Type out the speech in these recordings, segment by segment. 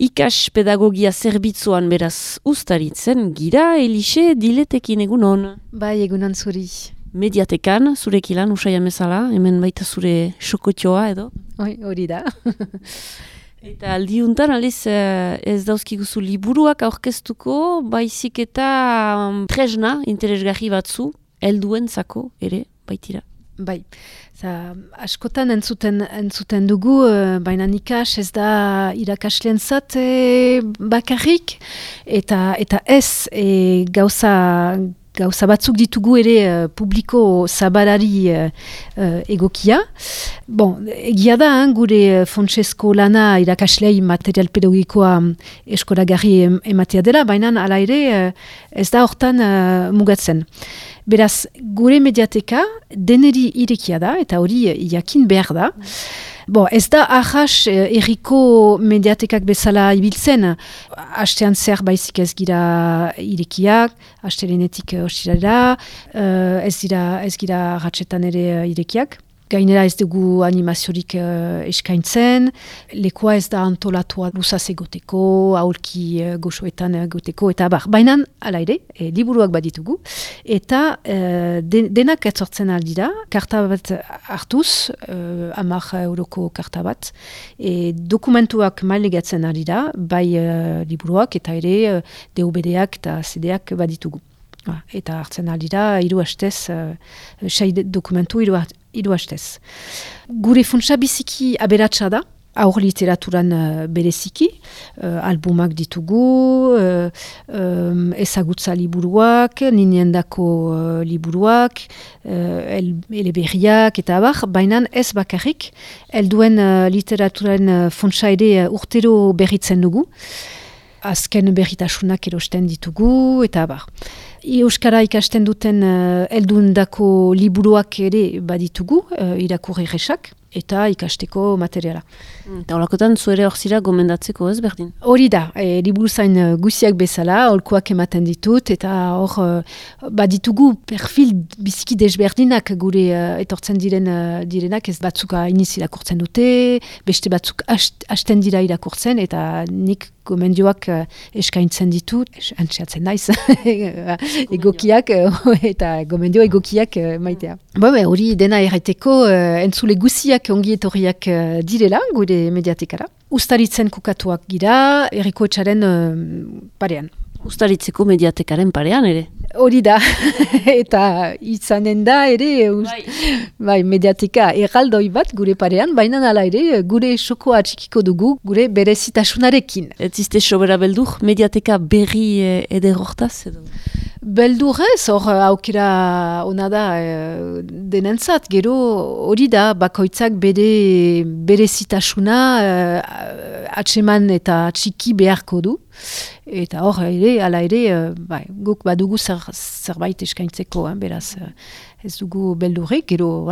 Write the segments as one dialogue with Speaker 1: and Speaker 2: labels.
Speaker 1: Ikas pedagogia zerbitzuan beraz ustaritzen gira, Elixe Diletekin egunon.
Speaker 2: Bai, egunon zuri.
Speaker 1: Mediatekan, zurek ilan, usai amezala, hemen baita zure xokotxoa edo?
Speaker 2: Hori da.
Speaker 1: Eta aldiuntan, aliz, ez dauzkiguzu liburuak aurkeztuko, baizik eta tresna, interesgarri batzu, helduentzako ere, baitira.
Speaker 2: Bai, askotan entzuten dugu, baina ikas ez da irakaslentzat bakarrik, eta ez gauza batzuk ditugu ere publiko zabalari egokia. Bon, egia da, gure Fontsesko lana irakaslei material pedagogikoa eskolagarri ematea dela, baina hala ere ez da hortan mugatzen. Beraz, gure mediateka deneri irekia da, eta hori jakin behar da. Ez da ahas erriko mediatekak bezala ibiltzen, hastean zer baizik ez gira irekiak, hastelenetik ostiralera, ez gira ratxetan ere irekiak. Gainera ez dugu animaziorik eskaintzen, lekoa ez da antolatua luzaz egoteko, aurki goxoetan egoteko, eta baina ala ere, liburuak baditugu, eta denak etzortzen aldira, karta bat hartuz, 10 euroko karta bat, dokumentuak mailegatzen aldira, bai liburuak eta ere DVD-ak eta CD-ak baditugu. Eta hartzen aldira, 3 hastez, 6 dokumentu 3 hastez. Gure funtsa biziki aberatsa da, aur literaturan bereziki, albumak ditugu, ezagutza liburuak, niniendako liburuak, eleberriak eta abar, baina ez bakarrik, helduen literaturan funtsa ere urtero berritzen dugu, azken berritasunak erosten ditugu, eta abar. Euskara ikasten duten heldundako liburuak ere baditugu, irakurri erresak, eta ikasteko materiala.
Speaker 1: Eta holakotan zuere hor zira gomendatzeko ez berdin?
Speaker 2: Hori da, liburu zain guziak bezala, holkoak ematen ditut, eta hor baditugu perfil biziki desberdinak gure etortzen direnak, ez batzuk iniz irakurtzen dute, beste batzuk hasten dira irakurtzen, eta nik gomendioak eskaintzen ditut, antxeatzen naiz, egokiak, eta gomendio egokiak maitea. Hori dena erraiteko entzule guziak ongi etorriak direla, gure mediatekara. Ustaritzen kokatuak gira, Herriko Etxaren parean.
Speaker 1: Ustaritzeko mediatekaren parean ere?
Speaker 2: Hori da, eta izanen da ere, bai, mediateka erraldoi bat gure parean, baina hala ere gure xokoa txikiko dugu, gure berezitasunarekin.
Speaker 1: Ez izte sobera beldur, mediateka berri ederortaz edo?
Speaker 2: Beldurrez, hor aukera ona da denentzat, gero hori da bakoitzak berezitasuna atseman eta txiki beharko du. Eta hor ere, ala ere, guk badugu zerbait eskaintzeko, beraz ez dugu beldurrik, gero,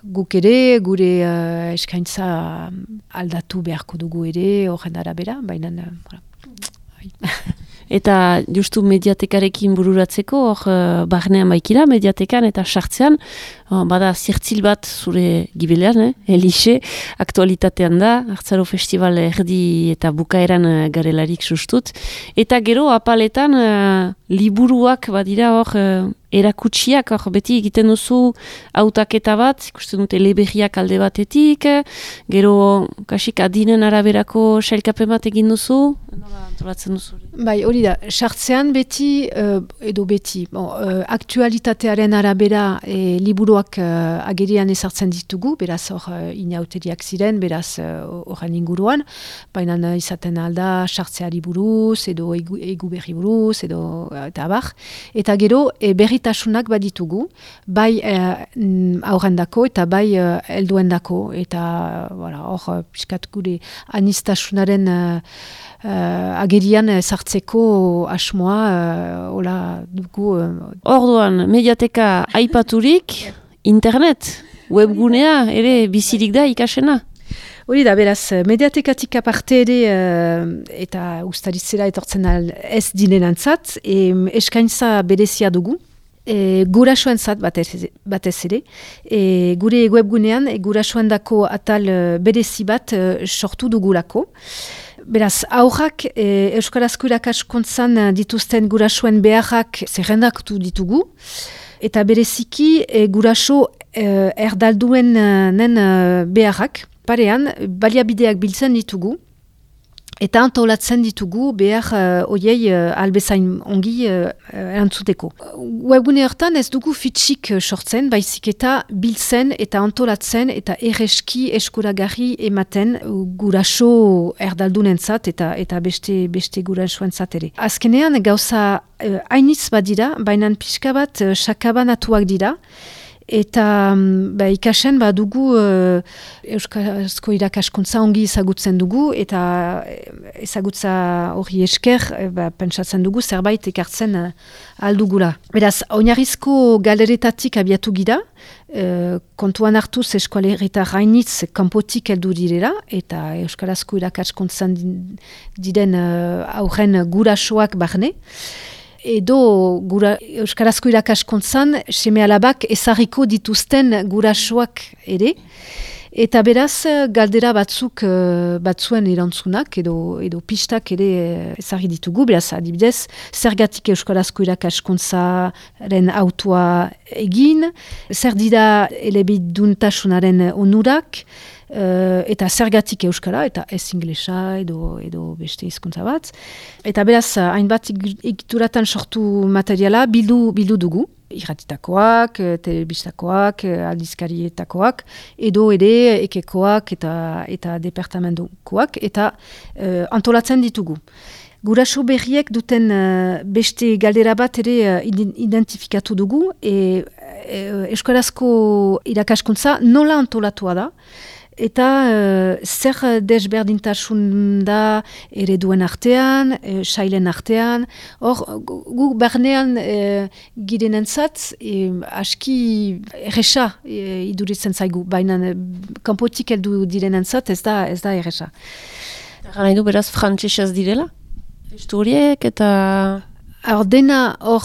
Speaker 2: guk ere, gure eskaintza aldatu beharko dugu ere, horren arabera, baina,
Speaker 1: Eta justu mediatekarekin bururatzeko, hor barnean baikira, mediatekan eta sartzean, bada zirtzil bat zure gibelean, Elixe, aktualitatean da, Hartzaro Festival erdi eta bukaeran garelarik sustut. Eta gero apaletan liburuak badira hor erakutsiak, hor beti egiten duzu hautaketa bat, ikusten dute eleberriak alde batetik, gero kasik adinen araberako sailkapen bat egin duzu, nola antolatzen duzu?
Speaker 2: Bai, hori da, sartzean beti, aktualitatearen arabera liburuak agerian ezartzen ditugu, beraz hor inauteriak ziren, beraz horren inguruan, baina izaten alda sartzeari buruz, edo egu berri buruz, edo eta abar. Eta gero berritasunak baditugu, bai aurrendako eta bai helduendako, eta hor piskat gure anistasunaren agerian sartzeko asmoa hola dugu.
Speaker 1: Orduan, mediateka aipaturik, internet, webgunea ere bizirik da ikasena?
Speaker 2: Hori da, beraz, mediatekatik aparte ere eta ustaritzera etortzen ez dinenantzat, eskaintza berezia dugu. Gurasoen zat batez ere. Gure webgunean gurasoen dako atal berezi bat sortu dugulako. Beraz, aurrak Euskarazko irakaskuntzan dituzten gurasoen beharrak zerrendaktu ditugu. Eta bereziki guraso erdalduenen beharrak. Parean, baliabideak biltzen ditugu. Eta antolatzen ditugu behar oiei albezain ongi erantzuteko. Webgune hortan ez dugu fitxik sortzen, baizik eta biltzen eta antolatzen eta erreski eskuragarri ematen guraso erdaldunentzat eta beste gurasoentzat ere. Azkenean gauza hainitz badira, baina pixka bat sakabanatuak dira. Eta ikasen dugu Euskarazko irakaskuntza ongi ezagutzen dugu eta ezagutza hori esker pentsatzen dugu zerbait ekartzen aldugula. Beraz, oinarrizko galeretatik abiatu gira, kontuan hartuz eskualerritar hainitz kanpotik heldu direla eta Euskarazko irakaskuntzan diren aurren gurasoak barne. Edo Euskarazko irakaskuntzan seme alabak ezarriko dituzten gurasoak ere. Eta beraz, galdera batzuen erantzunak edo pistak ere ezarri ditugu. Beraz, adibidez, zergatik Euskarazko irakaskuntzaren autua egin, zer dira elebiduntasunaren onurak, eta zergatik euskara, eta ez inglesa edo beste hizkuntza bat. Eta beraz, hainbat egituratan sortu materiala bildu dugu. Irratitakoak, telebistakoak, aldizkarietakoak, edo ere ekekoak eta departamentokoak, eta antolatzen ditugu. Guraso berriek duten beste galdera bat ere identifikatu dugu, Euskarazko irakaskuntza nola antolatua da, eta zer desberdintasun da ereduen artean, sailen artean. Hor, gu barnean girenentzat aski erresa iduritzen zaigu, baina kanpotik heldu direnentzat ez da erresa.
Speaker 1: Gara nahi du beraz frantsesez direla? Historiek eta...
Speaker 2: Dena hor,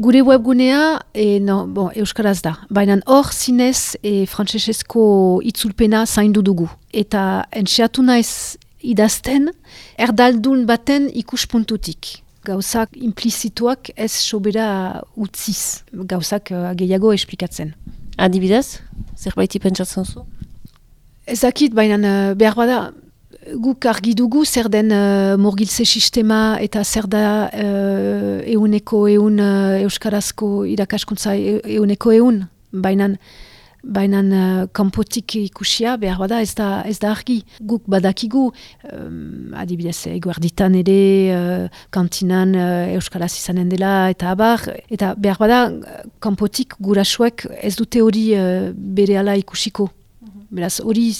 Speaker 2: gure webgunea euskaraz da. Baina hor zinez frantsesezko itzulpena zaindu dugu. Eta entxeatu naiz idazten, erdaldun baten ikuspuntutik. Gauzak implizituak ez sobera utziz. Gauzak gehiago esplikatzen.
Speaker 1: Adibidez? Zerbaiti pentsatzen zu?
Speaker 2: Ezakit, baina behar bada... Guk argi dugu zer den murgiltze sistema eta zer da euneko euskarazko irakaskuntza euneko Baina kanpotik ikusia behar bada ez da argi. Guk badakigu, adibidez eguerditan ere, kantinan euskaraz izanen dela eta abar. Eta behar bada kanpotik gurasoek ez dute hori berehala ikusiko. Beraz, hori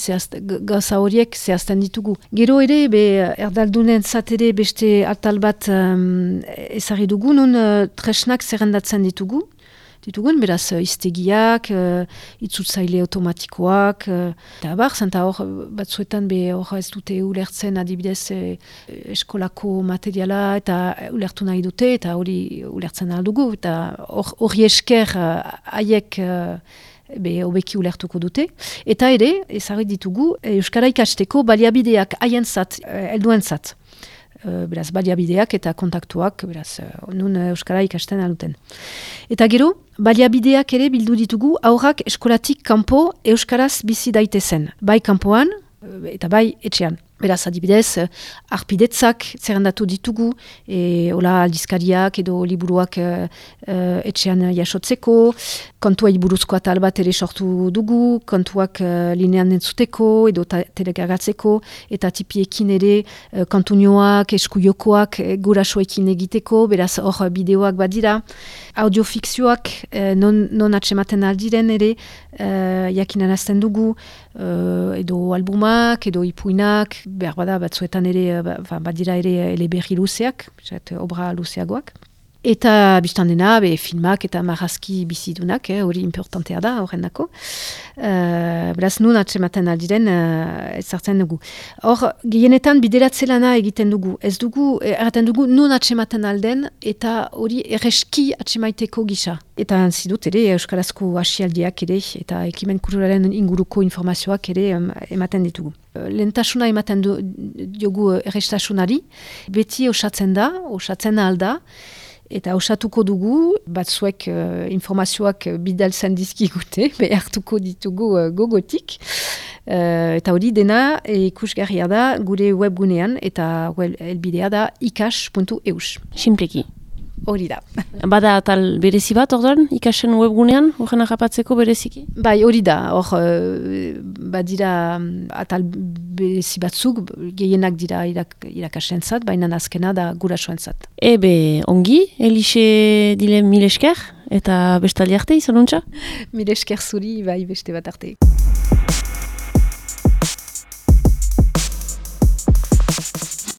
Speaker 2: gauza horiek zehazten ditugu. Gero ere, erdaldunen zatere beste atal bat ezarri dugu, nun tresnak zerrendatzen ditugun, beraz, iztegiak, itzultzaile automatikoak, eta bar, zanta hor, batzuetan hor ez dute ulertzen adibidez eskolako materiala eta ulertu nahi dute, eta hori ulertzen aldugu, eta hori esker haiek hobeki ulertuko dute. Eta ere, ezarri ditugu, Euskara ikasteko baliabideak haientzat, helduentzat. Beraz, baliabideak eta kontaktuak, beraz, nun Euskara ikasten alduten. Eta gero, baliabideak ere bildu ditugu, aurrak eskolatik kanpo Euskaraz bizi daitezen. Bai kanpoan, eta bai etxean. Beraz, adibidez, arpidetzak zerrendatu ditugu, hola aldizkariak edo liburuak etxean jasotzeko, kontuai buruzko atal bat ere sortu dugu, kontuak linean entzuteko edo telegagatzeko, eta tipiekin ere kantunioak, eskuiokoak gurasoekin egiteko, beraz hor bideoak badira, audiofikzioak non atsematen aldiren ere jakinarazten dugu, edo albumak, edo ipuinak, behar bada batzuetan ere, badira ere eleberri luzeak, obra luzeagoak. Eta biztan dena, filmak eta marrazki bizidunak, hori importantea da, horren dako. Beraz, nun atsematen aldiren, ez zartzen dugu. Hor, gehienetan bideratze lana egiten dugu. Ez dugu, erraten dugu, nun atsematen alden, eta hori erreski atsemaiteko gisa. Eta zidut ere, Euskarazko asialdiak ere, eta ekimen kulturalen inguruko informazioak ere ematen ditugu. Lehentasuna ematen diogu errestasunari, beti osatzen alda, eta osatuko dugu, batzuek informazioak bidaltzen dizkigute, behartuko ditugu gogotik. Eta hori dena ikusgarria da gure webgunean, eta helbidea da ikas.eus.
Speaker 1: Simpleki.
Speaker 2: Hori da.
Speaker 1: Bada atal berezi bat, orduan, ikasen webgunean, horren agapatzeko bereziki?
Speaker 2: Bai, hori da. Hor, badira atal berezi batzuk, gehienak dira irakasentzat, baina azkena da gurasoentzat.
Speaker 1: Ebe, ongi, Elixe dile mil esker, eta bestaldi arte izan untxa?
Speaker 2: Mil esker zuri, bai, beste bat arte.